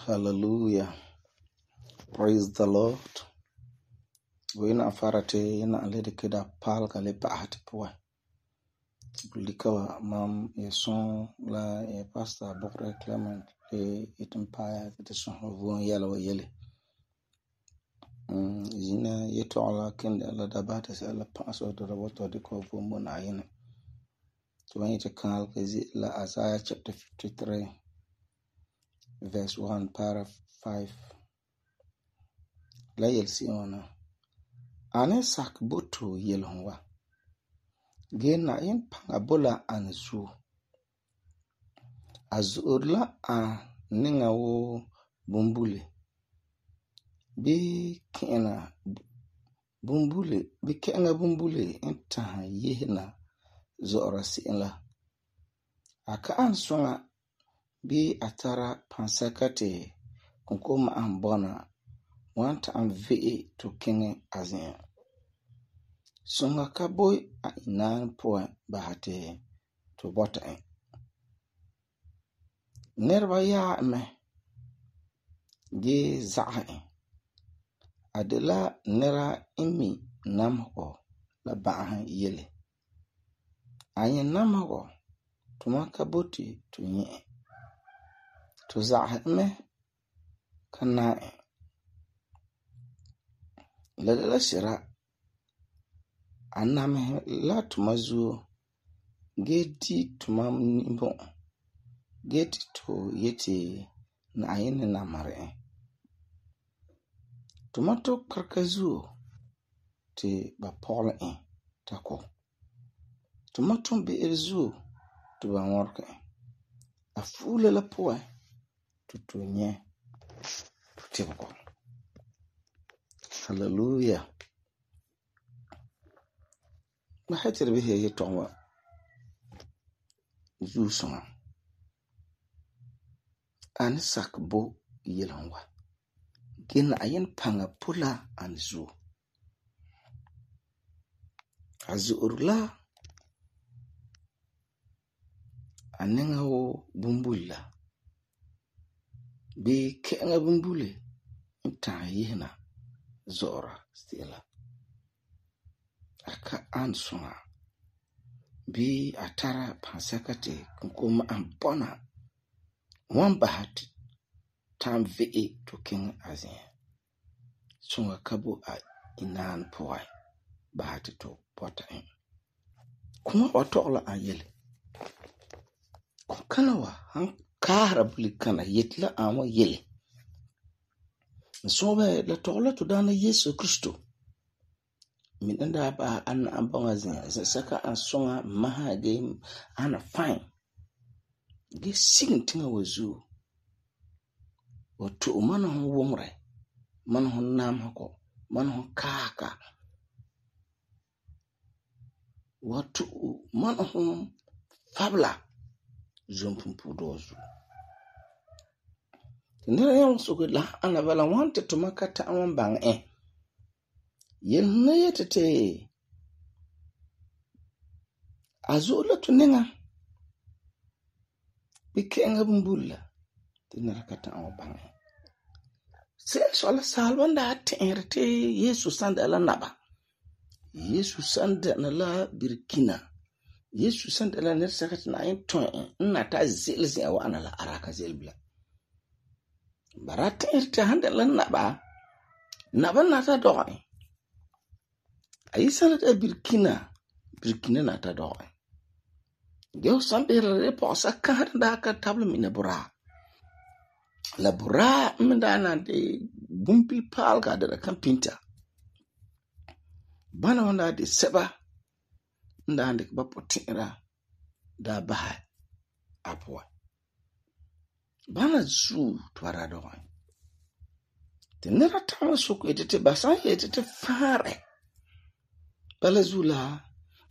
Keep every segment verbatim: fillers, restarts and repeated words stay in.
Hallelujah. Praise the Lord. We na farate na lede kida pal ka le pahat poa. Bulikawa mam yeson la e pastor Bokre Clement e itimpaya kete son vuon yala wa yele. Mm yina yeto ala kende la dabata se la paso do raboto de ko vuon mo na yene. So when you can la Isaiah chapter fifty-three verse one paragraph five. La yel si ona. Ane sak boto yel honwa. Gen na yin panga bola an zu. Azurla a ninga wo bumbule. Bi kena bumbule. Bi kena bumbule inta yehna zora si la. Aka an songa bi atara pansakate kunkoma an bona wanta an ve'e to kenge azin. Songa ka boy a inan poa bahate to bota en. Nerba ya me ge za'a en. Adela nera imi namho la ba'ahan yele. Ayen namho tumaka boti to nye. To za'a me kana en. Ladala shira aname la tumazu geti tumam nimbo geti to yeti na ayene na mare tumato karkazu te ba pole en tako tumato be erzu to ba worka a fule la poe tutunye tutiko. Hallelujah. Mahatir bihe ye tonwa zu sona an sakbo yelonwa gen ayen panga pula an zu azurla anenga wo bumbula bi kenga bumbule inta yehna zora stila aka an sona bi atara pansakate kunkoma ambona wan bahati tam ve'e to king azin songa kabo a inan poa bahati to pota en kuma watola a yele kana wa han kara bulikana yetla ama yele so ba la tola to dana Yesu Kristo min anda ba an ambanga zin saka an songa maha game ana fine ge sing tinga wazu wato mana hon womre mana hon nam hako mana hon kaka wato mana hon fabla zompumpu dozu nera yon sugula ana bala wante to makata an bang eh yen na yetete azula tuninga bikenga bumbula tinara kata an bang sen sola salwanda tenrete Yesu sanda la naba Yesu sanda na la birkina Yesu sanda la nersa katina yin ton na ta zelzi awa ana la araka zelbla barata irte handa la naba Naba nata dɔgɛ. Ayi sala da birkina, birkina nata dɔgɛ. Ge ho san behera la pɔgɔsa kahare da ka tabla mina buraa. La buraa me da na de bumpil paalga da kan pinta. Bana wanda de seba nda de ba potera da baha apwa. Bana zu twara dɔgɛ. Te nera tama soko etete basan etete fare. Bala zula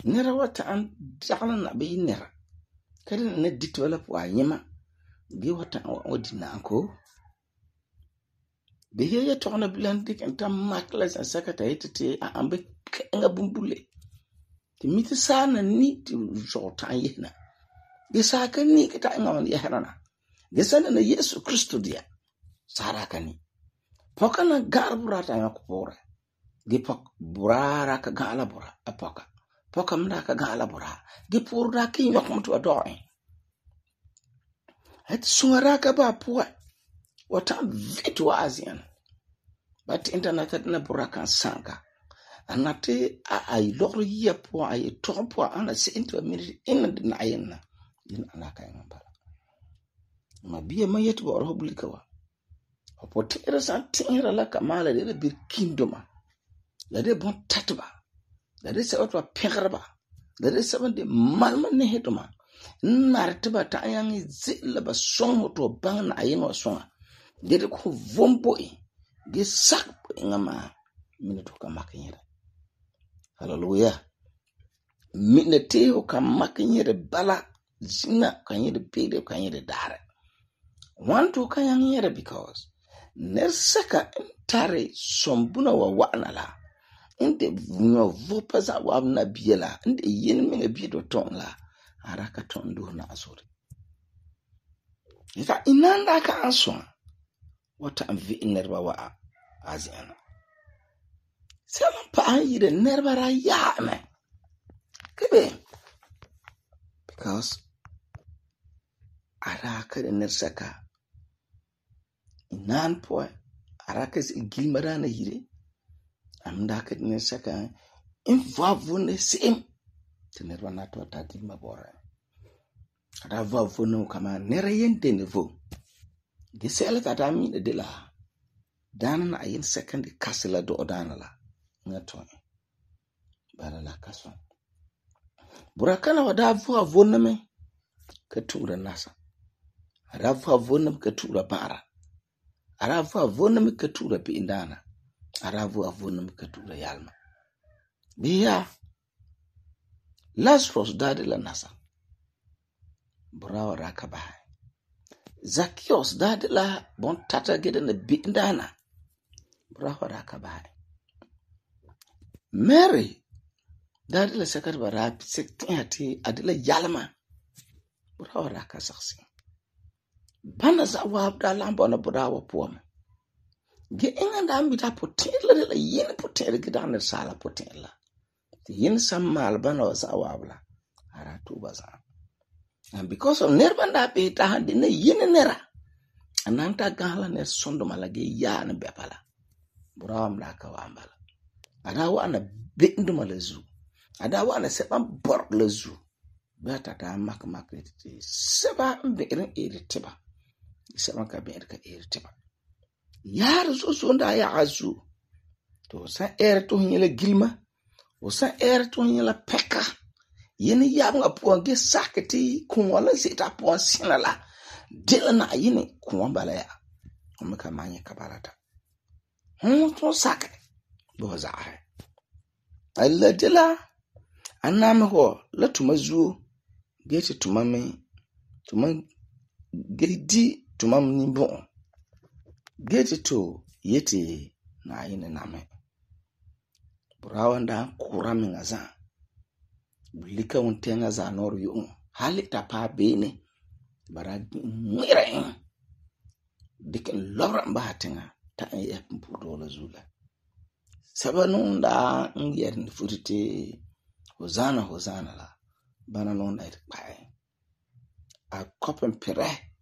nera wata an dagla na be nera. Kadi na dit wala po ayema. Ge wata an odi na anko. Be ye tokna bilan dik enta makla san sakata etete ambe nga bumbule. Te miti sa na ni ti jota yena. Ge sa ka ni kita nga man yahrana. Ge sa na Yesu Kristo dia. Sara ka ni. Poka na garbura ta nga kupore. Ge pok burara ka gala bura apoka. Poka mda ka gala bura. Ge purda ki nyok mtu wa doe. Het sungara ka ba puwa. Wata vitu wa azian. Bati internet na bura kan sanka. Anate a ay loro yia puwa ay toka puwa ana se into a minute ina di na ayena. Ina anaka yung mbara. Ma biya ma yetu ba orobulika wa. Opotera san tingira la kamala de bir kindoma. La de bon tatba. La de sa otwa pengraba. La de sa de malma ne hetoma. Nartiba ta yangi zilla ba songo to bang na ayeno songa. De de ko vomboi. Ge sak ngama minuto ka makinyere. Hallelujah. Minete o ka makinyere bala zina kanyere bede kanyere dare. Want to kanyere because nerseka entare sombuna wa wanala. Inte vunyo vopaza wa na biela. Inte yen minga biedo ton la. Araka ton do na asuri. Ita inanda ka answa. Wata amvi inerba wa aziana. Sama pa yire nerba ra ya me. Kebe. Because araka de nerseka. Inan po araka is gilmara na yire. Amdaka de nerseka. Invavu ne sim. Tenerwa na to ta gilma bora. Ada vavu no kama nera yente nevo. Gisela tata mi de la. Dana na ayin second kasila do odana la. Ngato. Bara la kaso. Burakana wada vu avona me katura nasa. Ada vu avona me katura bara. Ada vu avona me katura bi indana. Ada vu avona me katura yalma. Biya Lazarus dade la nasa. Burawa raka bahai. Zacchaeus dade la bon tata gede na bindana. Burawa raka bahai. Mary dade la sakat bara sekti hati adila yalma. Burawa raka saksi. Bana za wab da lambo na burawa puwama. Ge inga da ambita potela de la yene potela gidana sala potela. Yin sama albana wasa wabla aratu baza. And because of nerbanda pe ta hande ne yin nera ananta gala ne sondo malage ya na bepala buram la ka wambala adawa ana bindu malazu adawa ana seban bor lazu beta ta mak mak ti seba mberin iritiba seba ka ber ka iritiba yar so so nda ya azu to sa er to nyele gilma o sa er to nyela peka yene yabnga puange sakati kunwala zeta puan sinala dila na yene kunwambala ya omeka manye kabarata hon to sak bo zaare alla dila aname ho la tumazu gete tumame tuman gedi tumam nimbo gete to yete na yene name Burawanda kurami ngaza. Bulika untenga za noru yung. Hali tapa bene. Baragi mwira yung. Dikin lora mbahatenga. Ta nye mpudola zula. Saba nunda ngiyari nifurite. Hozana hozana la. Bana nunda itikpae. A kopen pere.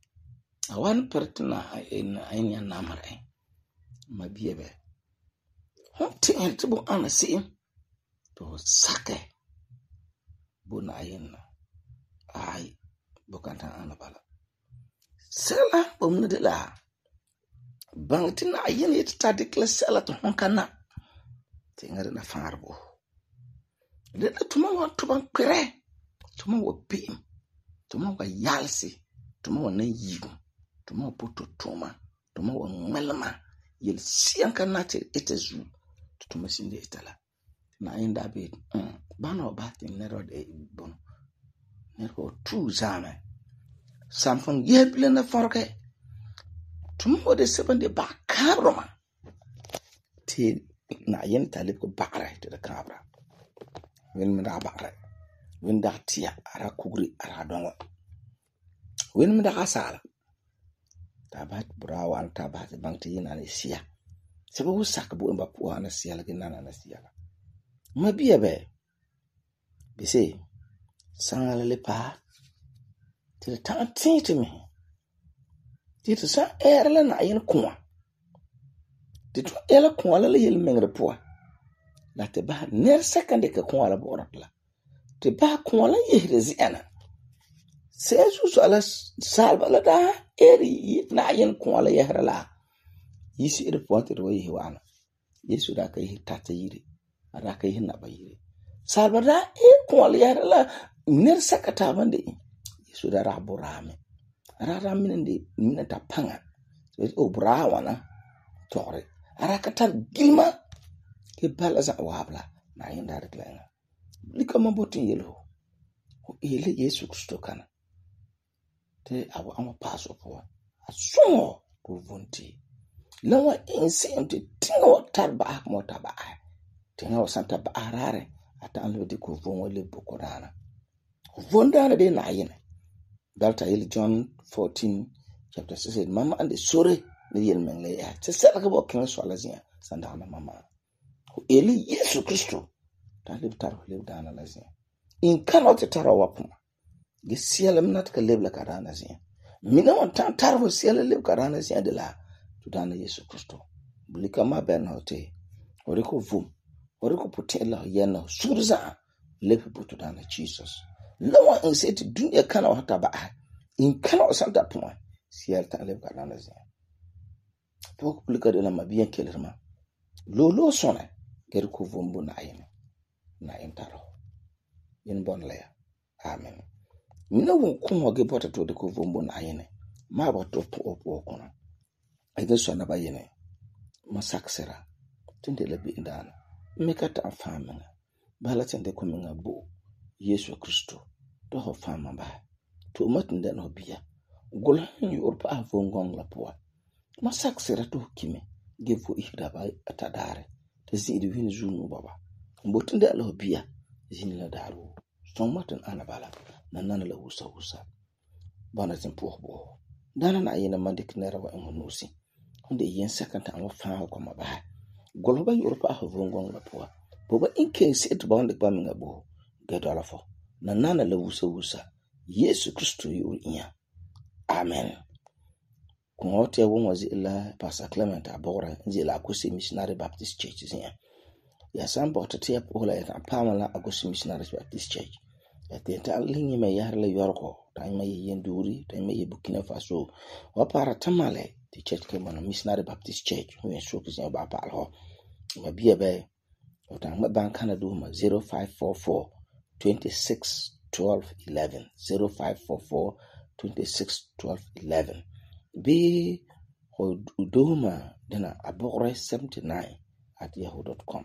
A wan pertina aini ya namare. Mabiebe. hon tɛ'ɛre te bo ana se'em to sakɛ bo Na'ayenɛ na. Ai, bo kan ta'an ana bala. Sɛla bo mun de la baŋɛ te Na'ayenɛ yeti ta dikɛ la sɛla te hon ka na. Tɛ'ɛra dena faanrɛ bo. Dena tuma wa tuban kpɛrɛ, tuma wa be'em, tuma wa yalsi, tuma wa nan yigum, tuma wa poto tuma, tuma wa ŋmɛlema, yel siyan ka na te ita zu, te tuma sin de ita la. Na'ayenɛ da be bana wa ba te nɛra de bono. Nɛra wa tu zaame. Samfon yeh bilen na farke. Tuma wa de seban de ba kabroma. Te Na'ayenɛ ta lebe ko bakre te da kabra. Wen me da bakre. Wen da tia ara kugri ara dongo. Wen me da asala. Ta ba brawa an ta ba te bang te yina ne sia. Sebe wo sak bo en ba po ana sia la ke nana na sia la. Ma biya be. Bise sangala le pa. Te ta tin te me. Te te sa era la Na'ayenɛ kwa. Te to ela kwa la le yel mengre po. La te ba ner sekande ke kwa la bo la. Te ba kwa la yehre ziana. Sesu so ala salba la da eri Na'ayenɛ kwa la yehre la. Yisi ere po te ro yehi wana. Yesu da ka yehi tata yiri. Ada ka yehi naba yiri. Salba da e kwa la yehre la ner sekata bande. Yesu da ra borame. Ara ra minende minata panga. O bra wana tore. Ara katar gilma ke bala za wabla na yenda rekla. Lika mabotin yelo. O ele Yesu Kristo kana. Te awa ama paso po. Asongo ko vunti. Lawa insem te tinga wa tarba mo taba. Tinga wa santa ba arare ata anlo de ko vonwo le bokorana. Vondana de Na'ayenɛ. Dalta yel John fourteen chapter six mama ande sore ne yel mengle ya. Te sela ke bo kin so la zia sanda na mama. Ko eli Yesu Kristo ta le tar le dana la zia. In kana te tara wapuma. Ge siela mnat ka lebla karana zia. Mina on tan tar ho siela le karana zia de la to dana Yesu Kristo. Bulika ma ben hote. Oriko vum. Oriko potela yena surza le puto dana Jesus. Lawa in say to dunya kana wata ba. In kana santa puma. Siel ta le karana zia. Pok bulika de la mabiyan kelerma. Lolo sona geri ko vumbu Na'ayenɛ. Na'ayenɛ taro. Yen bon le. Amen. Mina won kun hoge bota to de ko vumbu Na'ayenɛ. Ma ba to po po kono. Ege so na ba yene. Masaksera. Tinde le bi indana. Meka ta famana. Bala tende ko minga bo. Yesu Kristo. To ho fama ba. To matinde no biya. Gola ni urpa avongong la poa. Masaksera to kime. Gevo ihda ba atadare. Te zidi win zunu baba. Mbotinde lo biya. Zini la daru. Song matan anabala. Nanana la wusa wusa. Bana tempo bo. Dana Na'ayenɛ mandik nera wa ngonusi. Honde yen sekanta an fa ko maba. Golba Europa avongong la poa. Boba inke sit bande ba minga bo. Gedo ala fo. Nanana la wusa wusa. Yesu Kristo yu inya. Amen. Kungote ya wong wazi ila Pastor Clement abora nzi ila Akosi Missionary Baptist Church zinya. Ya sambo tatia pola ya pamala Akosi Missionary Baptist Church. Ya tenta lingi me yarle yorko. Taima ye yenduri, taima ye Burkina Faso. Wapara tamale the church ke mono Missionary Baptist Church. Huye shoki zinya ba pal ho. Mabia be. Otang maban Canada ma zero five four four twenty-six twelve eleven zero five four four twenty-six twelve eleven. Be udoma dena abore seventy-nine at yahoo dot com.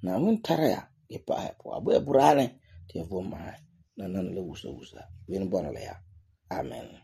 Na mun taraya e pa po abu e burane te voma na nan le wusa wusa wen bona le ya. Amen.